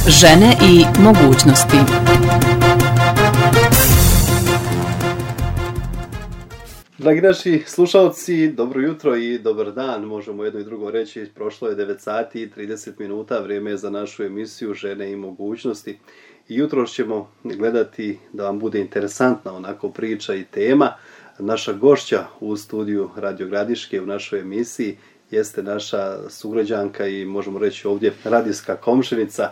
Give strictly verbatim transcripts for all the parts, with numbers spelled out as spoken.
Žene i mogućnosti. Dragi naši slušalci, dobro jutro i dobar dan, možemo jedno i drugo reći. Prošlo je devet sati i trideset minuta, vrijeme je za našu emisiju Žene i mogućnosti. I jutro ćemo gledati da vam bude interesantna onako priča i tema. Naša gošća u studiju Radio Gradiške u našoj emisiji jeste naša sugrađanka i možemo reći ovdje radijska komšinica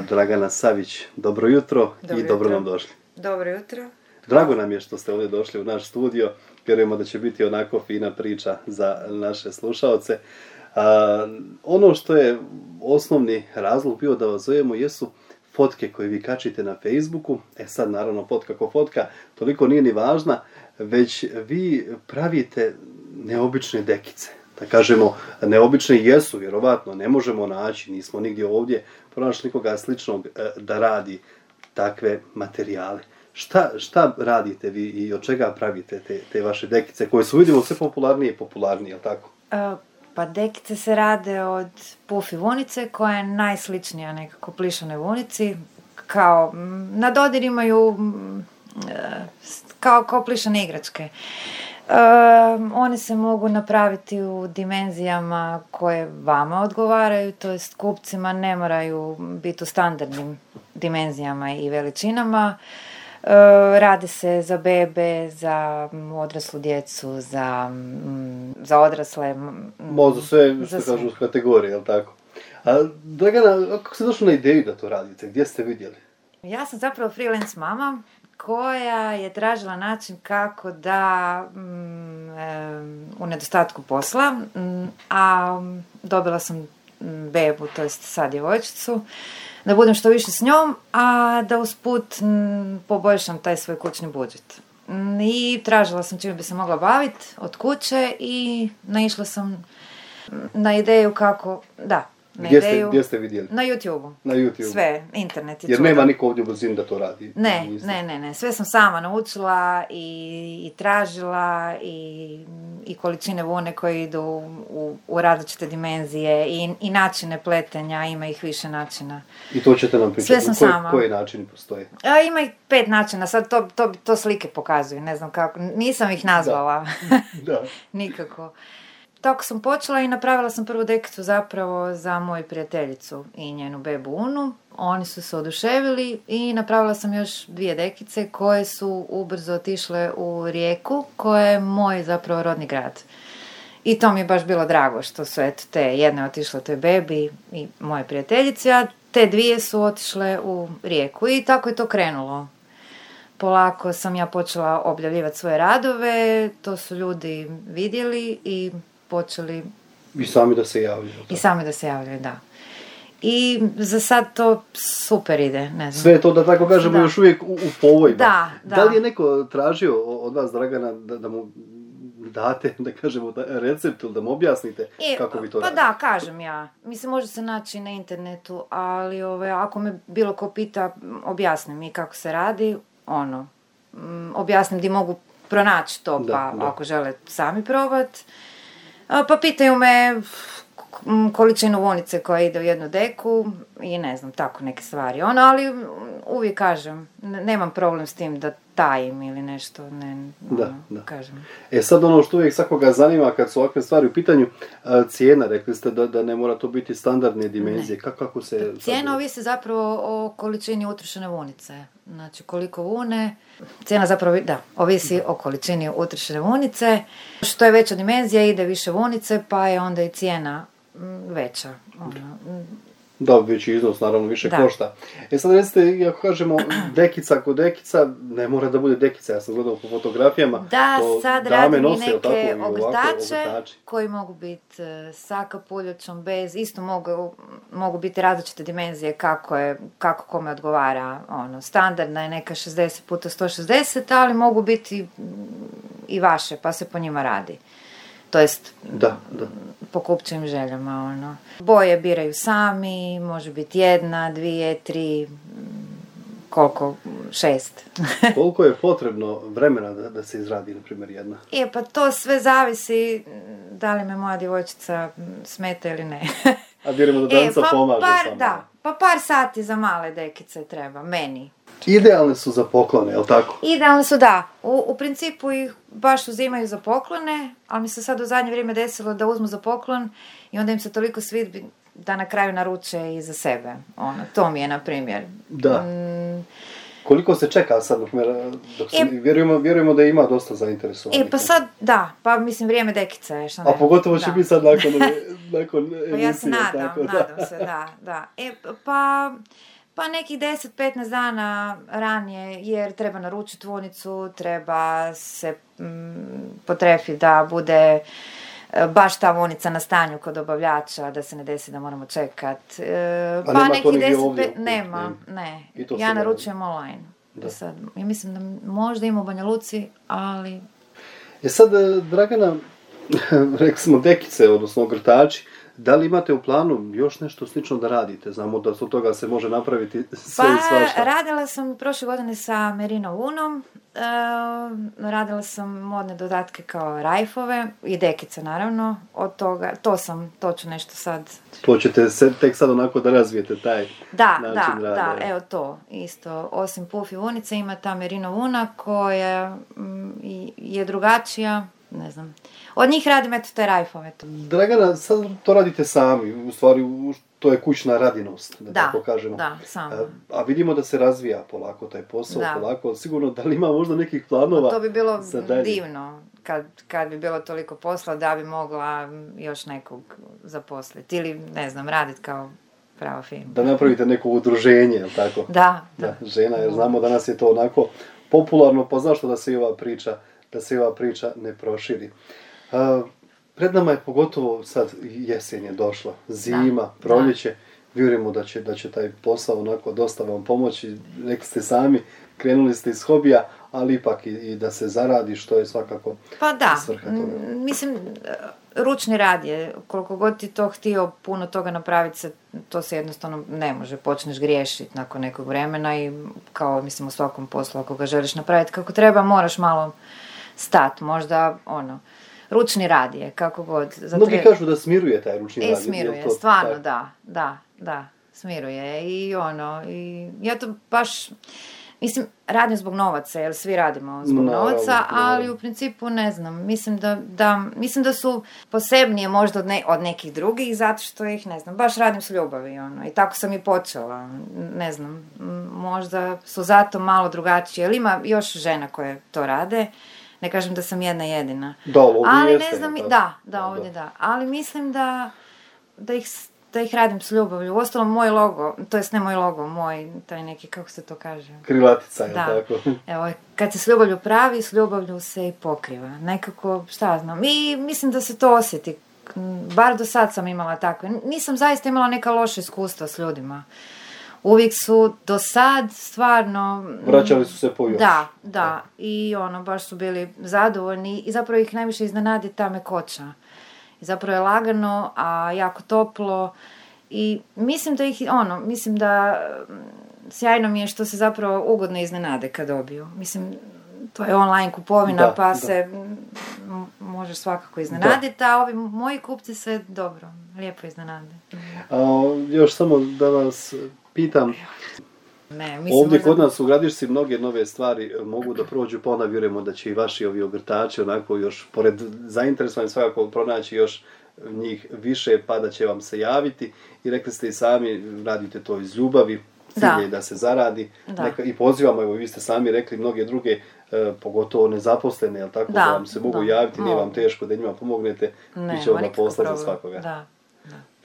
Dragana Savić. Dobro jutro dobro i dobro jutro. Nam došli. Dobro jutro. Drago nam je što ste ovdje došli u naš studio. Vjerujemo da će biti onako fina priča za naše slušaoce. A, ono što je osnovni razlog bio da vas zovemo jesu fotke koje vi kačite na Facebooku. E sad naravno fotka ko fotka toliko nije ni važna, već vi pravite neobične dekice. Da kažemo, neobične jesu, vjerovatno, ne možemo naći, nismo nigdje ovdje pronašli nikoga sličnog da radi takve materijale. Šta, šta radite vi i od čega pravite te, te vaše dekice koje su, vidimo, sve popularnije i popularnije, jel tako? Uh, pa dekice se rade od pufi vunice koja je najsličnija nekako plišanoj vunici. Kao, na dodir imaju uh, kao, kao plišane igračke. Uh, one se mogu napraviti u dimenzijama koje vama odgovaraju, to jest kupcima ne moraju biti u standardnim dimenzijama i veličinama. Uh, rade se za bebe, za odraslu djecu, za, m, za odrasle. Možda sve, što kažu, u kategoriji, jel tako? A Dragana, kako ste došli na ideju da to radite? Gdje ste vidjeli? Ja sam zapravo freelance mama koja je tražila način kako da mm, e, u nedostatku posla, mm, a dobila sam bebu, to jest sad djevojčicu, da budem što više s njom, a da usput m, poboljšam taj svoj kućni budžet. M, I tražila sam čime bi se mogla baviti od kuće i naišla sam na ideju kako, da, na gdje, ideju, ste, gdje ste vidjeli? Na YouTube-u. Na YouTube. Sve, internet je Jer čudan. nema niko ovdje u blizini da to radi. Ne, ne, ne, ne, sve sam sama naučila i, i tražila i, i količine vune koje idu u, u različite dimenzije i, i načine pletenja, ima ih više načina. I to ćete nam pričati. Sve sam koje, sama. Koji načini postoje? A, ima ih pet načina, sad to, to, to slike pokazuju, ne znam kako, nisam ih nazvala. Da. Da. Nikako. Tako sam počela i napravila sam prvu dekicu zapravo za moju prijateljicu i njenu bebu Unu. Oni su se oduševili i napravila sam još dvije dekice koje su ubrzo otišle u Rijeku, koja je moj zapravo rodni grad. I to mi je baš bilo drago što su eto te, jedna je otišla toj bebi i moje prijateljici, a te dvije su otišle u Rijeku i tako je to krenulo. Polako sam ja počela objavljivati svoje radove, to su ljudi vidjeli i počeli... I sami da se javljaju. I sami da se javljaju, da. I za sad to super ide, ne znam. Sve je to, da tako kažemo, da. Još uvijek u, u povojima. Da, da. Da li je neko tražio od vas, Dragana, da, da mu date, da kažemo, recept ili da mu objasnite I, kako vi to pa radite? Pa da, kažem ja. Mislim, može se naći na internetu, ali ove, ako me bilo ko pita, objasnim mi kako se radi, ono, m, objasnim di mogu pronaći to, da, pa da. ako žele sami probati. Pa pitaju me količinu vunice koja ide u jednu deku i ne znam, tako neke stvari. Ono, ali uvijek kažem, nemam problem s tim da tajim ili nešto, ne, da, ono, da. kažem. E sad ono što uvijek svakoga zanima kad su ovakve stvari u pitanju, cijena, rekli ste da, da ne mora to biti standardne dimenzije, kako, kako se... Cijena ovisi zapravo o količini utrošene vunice, znači koliko vune, cijena zapravo, da, ovisi o količini utrošene vunice, što je veća dimenzija ide više vunice, pa je onda i cijena veća, ono. Da, veći iznos, naravno, više da. Košta. E sad recite, ako kažemo dekica kod dekica, ne mora da bude dekica, ja sam gledao po fotografijama. Da, to sad radim i neke ogrtače koji mogu biti sa kapuljačom, bez, isto mogu, mogu biti različite dimenzije kako je, kako kome odgovara, ono, standardna je neka šezdeset puta sto šezdeset, ali mogu biti i vaše, pa se po njima radi. To jest, da, da. po kupčevim željama, ono. Boje biraju sami, može biti jedna, dvije, tri, koliko, šest. Koliko je potrebno vremena da, da se izradi, na primjer, jedna? Je, pa to sve zavisi da li me moja djevojčica smeta ili ne. A vjerujemo da Danica e, pa pomaže par, samo. Da, pa par sati za male dekice treba, meni. Idealne su za poklone, jel tako? Idealne su, da. U, u principu ih baš uzimaju za poklone, ali mi se sad u zadnje vrijeme desilo da uzmu za poklon i onda im se toliko svidi da na kraju naruče i za sebe. Ono, to mi je, na primjer. Da. Mm, Koliko se čeka sad, dok, me, dok se, E, vjerujemo, vjerujemo da ima dosta zainteresovanih. E, pa sad, da, pa mislim vrijeme dekice je, što ne. A pogotovo će Da. biti sad nakon, nakon emisije. Pa ja se nadam, tako, da. nadam se, da, da. E, pa, pa nekih deset do petnaest dana ranije, jer treba naručiti vunicu, treba se mm, potrefiti da bude e, baš ta vunica na stanju kod dobavljača, da se ne desi da moramo čekat. E, pa nema to nekih nigdje deset, ovdje pet, u kući, nema, ne? ne. I to Ja se naručujem online. Da. Sad, ja mislim da možda ima u Banja Luci, ali... E sad, e, Dragana, rekli smo dekice, odnosno ogrtači, da li imate u planu još nešto slično da radite? Znamo da od toga se može napraviti sve Pa, i svašta. radila sam prošle godine sa Merino Unom, e, radila sam modne dodatke kao rajfove i dekice naravno, od toga, to sam, to ću nešto sad... To ćete se tek sad onako da razvijete taj Da, način da, rada. da, evo to, isto, osim puf i vunice ima ta Merino Una koja mm, i- je drugačija, ne znam, od njih radim eto te rajfove. Dragana, sad to radite sami, u stvari u- to je kućna radinost, da, Da, tako kažemo. da, samo. A, a vidimo da se razvija polako taj posao, Da. polako, sigurno da li ima možda nekih planova To bi bilo za dalje? divno kad, kad bi bilo toliko posla da bi mogla još nekog zaposliti ili ne znam, raditi kao prava firma. Da napravite neko udruženje, jel tako? Da, da. Da, žena, jer znamo danas je to onako popularno, pa zašto da se i ova priča, da se i ova priča ne proširi. A, pred nama je pogotovo sad jesen je došla, zima, Da, proljeće, vjerujemo da će, da će taj posao onako dosta vam pomoći, rekli ste sami, krenuli ste iz hobija, ali ipak i, i da se zaradi, što je svakako Pa da, svrha toga. m, mislim, ručni rad je, koliko god ti to htio puno toga napraviti, se, to se jednostavno ne može, počneš griješiti nakon nekog vremena i kao, mislim, u svakom poslu, ako ga želiš napraviti kako treba, moraš malo stat, možda, ono, ručni rad je, kako god. Zato Mnogi je- kažu da smiruje taj ručni E, rad. jel smiruje, to stvarno, tako? da, da, da, smiruje i ono, i ja to baš, mislim, radim zbog novaca, jer svi radimo zbog Naravno, novaca, ali naravno. u principu ne znam, mislim da, da, mislim da su posebnije možda od, ne, od nekih drugih, zato što ih, ne znam, baš radim s ljubavi, ono, i tako sam i počela, ne znam, m, možda su zato malo drugačije, jer ima još žena koje to rade, ne kažem da sam jedna jedina. Da, ovdje Ali jeste, ne znam, jel' da, tako? da, ovdje da. Ali mislim da, da, ih, da ih radim s ljubavlju. Uostalom, moj logo, to jest ne moj logo, moj, taj neki, kako se to kaže? Krilatica, je Da. tako? Evo, kad se s ljubavlju pravi, s ljubavlju se i pokriva. Nekako, šta znam, i mislim da se to osjeti. Bar do sad sam imala takve. Nisam zaista imala neka loša iskustva s ljudima. Uvijek su do sad stvarno... Vraćali su se po još. Da, da. I ono, baš su bili zadovoljni i zapravo ih najviše iznenadi ta mekoća. I zapravo je lagano, a jako toplo i mislim da ih, ono, mislim da mm, sjajno mi je što se zapravo ugodno iznenade kad dobiju. Mislim, to je online kupovina, Da, pa da. se mm, možeš svakako iznenaditi, a ovi moji kupci se dobro, lijepo iznenade. A, još samo da vas pitam, Ne, mislim, ovdje možda- kod nas u Gradišci mnoge nove stvari mogu da prođu, pa onda vjerujemo da će i vaši ovi ogrtači onako još, pored zainteresovani svakako pronaći još njih više, pa da će vam se javiti. I rekli ste i sami, radite to iz ljubavi, cilj Da. je da se zaradi. Da. Neka, i pozivamo, evo vi ste sami rekli, mnoge druge, e, pogotovo nezaposlene, jel tako, da, Da, vam se mogu da, javiti, nije vam mogu. teško da njima pomognete, Ne, bit će onda nikakav posla za problem. svakoga. Da.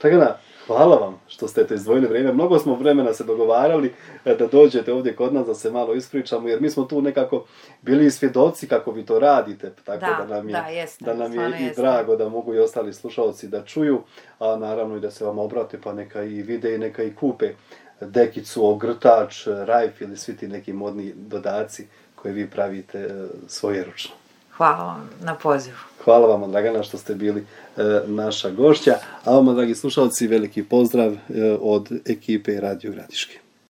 Dragana, hvala vam što ste to izdvojili vrijeme. Mnogo smo vremena se dogovarali e, da dođete ovdje kod nas da se malo ispričamo, jer mi smo tu nekako bili i svjedoci kako vi to radite, tako da, Da, nam je, da, jeste, da nam je stvarno i jeste. drago da mogu i ostali slušalci da čuju, a naravno i da se vam obrate, pa neka i vide i neka i kupe dekicu, ogrtač, rajf ili svi ti neki modni dodaci koje vi pravite e, svojeručno. Hvala vam na pozivu. Hvala vam, Dragana, što ste bili e, naša gošća. A vama, dragi slušalci, veliki pozdrav e, od ekipe Radio Gradiške.